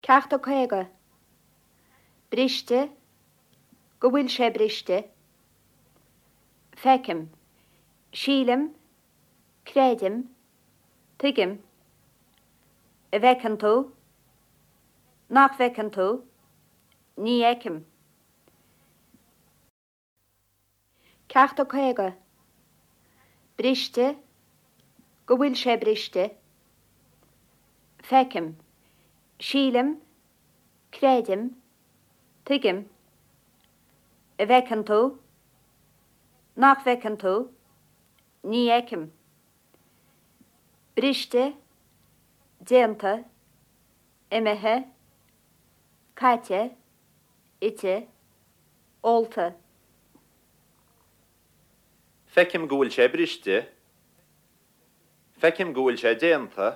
Ceacht 50. Briste, Go bhfuil sé briste. Feicim. Sílim. Creidim. Tuigim. An bhfeiceann tú? Nach bhfeiceann tú? Ní fheicim. Ceacht 50. Briste, Go bhfuil sé briste. Feicim. Sílim. Creidim. Tuigim. An bhfeiceann tú? Nach bhfeiceann tú? Ní fheicim. Briste, déanta, imithe, caite, ite, ólta. Feicim go bhfuil sé briste. Feicim go bhfuil sé déanta.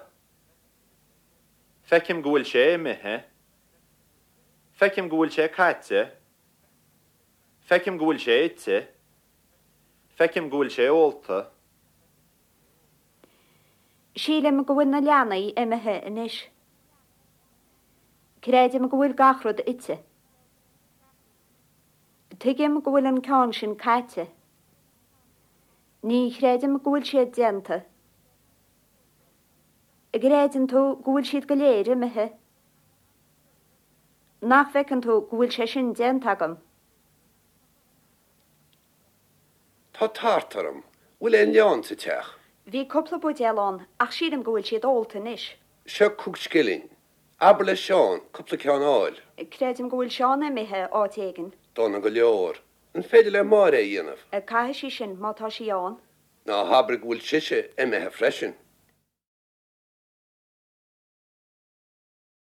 Feicim go bhfuil sé imithe. Feicim go bhfuil sé caite. Feicim go bhfuil sé ite. Feicim go bhfuil sé ólta. Sílim go bhfuil na leanaí imithe anois. Creidim go bhfuil gach rud ite. Tuigim go bhfuil an ceann sin caite. Ní chreidim go bhfuil siad déanta. An gcreideann tú go bhfuil siad go léir imithe? Nach bhfeiceann tú go bhfuil sé sin déanta agam? Tá tart orm. Bhfuil aon leann sa teach? Bhí cúpla buidéal ann ach sílim go bhfuil siad ólta anois. Seo cúig scilling. Abair le Seán cúpla ceann a fháil. Creidim go bhfuil Seán imithe áit éigin. Dona go leor. An féidir le Máire é a dhéanamh? Caithfidh sí sin, má tá sí ann. Ná habair go bhfuil sise imithe freisin.